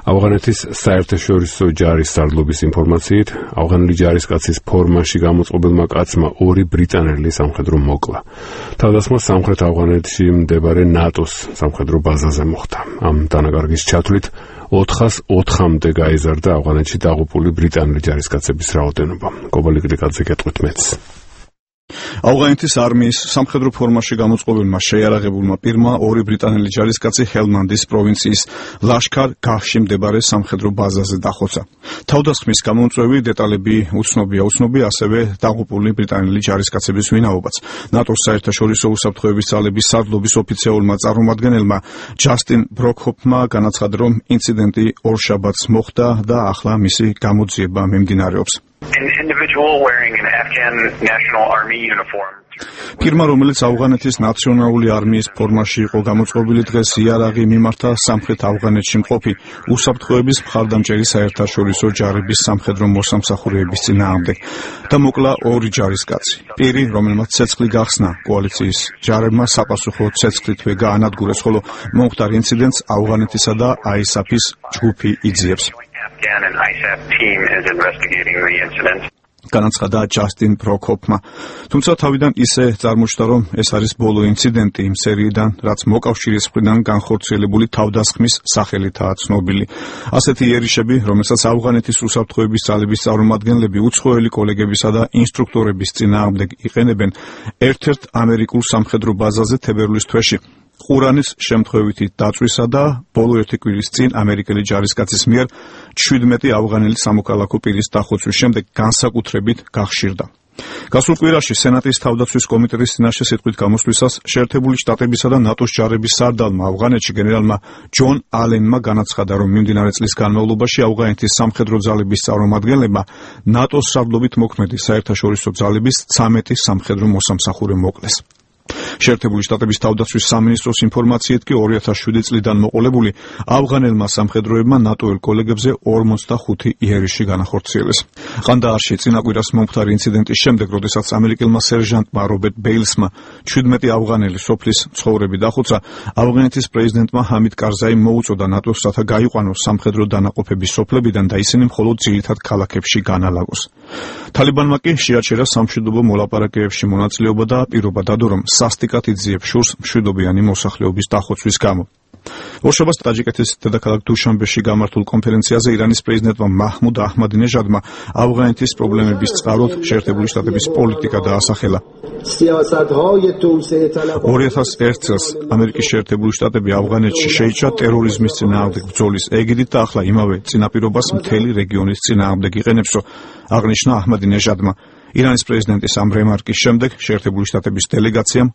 ავღანეთის საერთაშორისო ჯარის სარდლობის ინფორმაციით, ავღანელი ჯარისკაცის ფორმაში გამოწყობილმა კაცმა 2 ბრიტანელი სამხედრო მოკლა. თავდასხმა სამხრეთ ავღანეთში მდებარე ნატოს სამხედრო ბაზაზე მოხდა. ამ დანაკარგის ჩათვლით 404-მდე გაიზარდა ავღანეთში დაღუპული ბრიტანელი ჯარისკაცების რაოდენობა. კობალი კლიკაძე გეტყვით მეც. ავღანეთის არმიის სამხედრო ფორმაში გამოწყობილმა შეიარაღებულმა პირმა 2 ბრიტანელი ჯარისკაცი ჰელმანდის პროვინციის ლაშქარ-გაჰში მდებარე სამხედრო ბაზაზე დახოცა. თავდასხმის გამომწვევი დეტალები უცნობია, ასევე დაღუპული ბრიტანელი ჯარისკაცების ვინაობაც. ნატოს საერთაშორისო უსაფრთხოების ძალების სარდლობის ოფიციალურმა წარმომადგენელმა ჯასტინ ბროკჰოფმა განაცხადა, რომ ინციდენტი ორშაბათს მოხდა და ახლა მისი გამოძიება მიმდინარეობს. An individual wearing an Afghan National Army uniform. Პირმა, რომელიც ავღანეთის ნაციონალური არმიის ფორმაში იყო გამოწყობილი, დღეს იარაღი მიმართა სამხრეთ ავღანეთში მყოფი უსაფრთხოების მხარდამჭერი საერთაშორისო ჯარების სამხედრო მოსამსახურეების წინააღმდეგ და მოკლა 2 ჯარისკაცი. პირი, რომელმაც ცეცხლი გახსნა, კოალიციის ჯარებმა საპასუხო ცეცხლითვე გაანადგურეს, ხოლო მომხდარ ინციდენტს ავღანეთისა და ISAF-ის ჯგუფი იძიებს. Afghan and ISAF team is investigating the incident. განაცხადა ჯასტინ ბროკჰოფმა. თუმცა თავიდან ისე წარმოჩნდა, რომ ეს არის ბოლო ინციდენტი იმ სერიიდან, რაც მოკავშირის მხრიდან განხორციელებული თავდასხმის სახელითაა ცნობილი. ასეთი იერიშები, რომელსაც ავღანეთის უსაფრთხოების ძალების წარმომადგენლები უცხოელი კოლეგებისა და ინსტრუქტორების წინააღმდეგ იყენებენ ერთ-ერთ ამერიკულ სამხედრო ბაზაზე თებერვლის თვეში. ყურანის შემთხვევითი დაწვისა და ბოლო 1 კვირის წინ ამერიკელი ჯარისკაცის მიერ 17 ავღანელი სამოქალაქო პირის დახოცვის შემდეგ განსაკუთრებით გახშირდა. გასულ კვირაში სენატის თავდაცვის კომიტეტის წინაშე სიტყვით გამოსვლისას შეერთებული შტატებისა და ნატოს ჯარების სარდალმა ავღანეთში გენერალმა ჯონ ალენმა განაცხადა, რომ მიმდინარე წლის განმავლობაში ავღანეთის სამხედრო ძალების წარმომადგენლებმა ნატოს სარდლობით მოქმედი საერთაშორისო ძალების 13 სამხედრო მოსამსახურე მოკლეს. შეერთებული შტატების თავდაცვის სამინისტროს ინფორმაციით კი 2007 წლიდან მოყოლებული ავღანელმა სამხედროებმა ნატოელ კოლეგებზე 45 იერიში განახორციელეს. ყანდაარში წინა კვირას მომხდარი ინციდენტის შემდეგ, როდესაც ამერიკელმა სერჟანტმა რობერტ ბეილსმა 17 ავღანელი სოფლის მცხოვრები დახოცა, ავღანეთის პრეზიდენტმა ჰამიდ კარზაიმ მოუწოდა ნატოს, რათა გაიყვანოს სამხედრო დანაყოფები სოფლებიდან და ისინი მხოლოდ ძირითად ქალაქებში განალაგოს. თალიბანმა კი შეაჩერა სამშვიდობო მოლაპარაკებებში მონაწილეობა და პირობა დადო, რომ სასტიკად იძიებს შურს მშვიდობიანი მოსახლეობის დახოცვის გამო. ორშაბათს ტაჯიკეთის დედაქალაქ დუშანბეში გამართულ კონფერენციაზე ირანის პრეზიდენტმა მაჰმუდ აჰმადინეჟადმა ავღანეთის პრობლემების წყაროდ შეერთებული შტატების პოლიტიკა დაასახელა. 2001 წელს ამერიკის შეერთებული შტატები ავღანეთში შეიჭრა ტერორიზმის წინააღმდეგ ბრძოლის ეგიდით და ახლა იმავე წინაპირობას მთელი რეგიონის წინააღმდეგ იყენებსო, აღნიშნა აჰმადინეჟადმა. ირანის პრეზიდენტის ამ რემარკის შემდეგ შეერთებული შტატების დელეგაციამ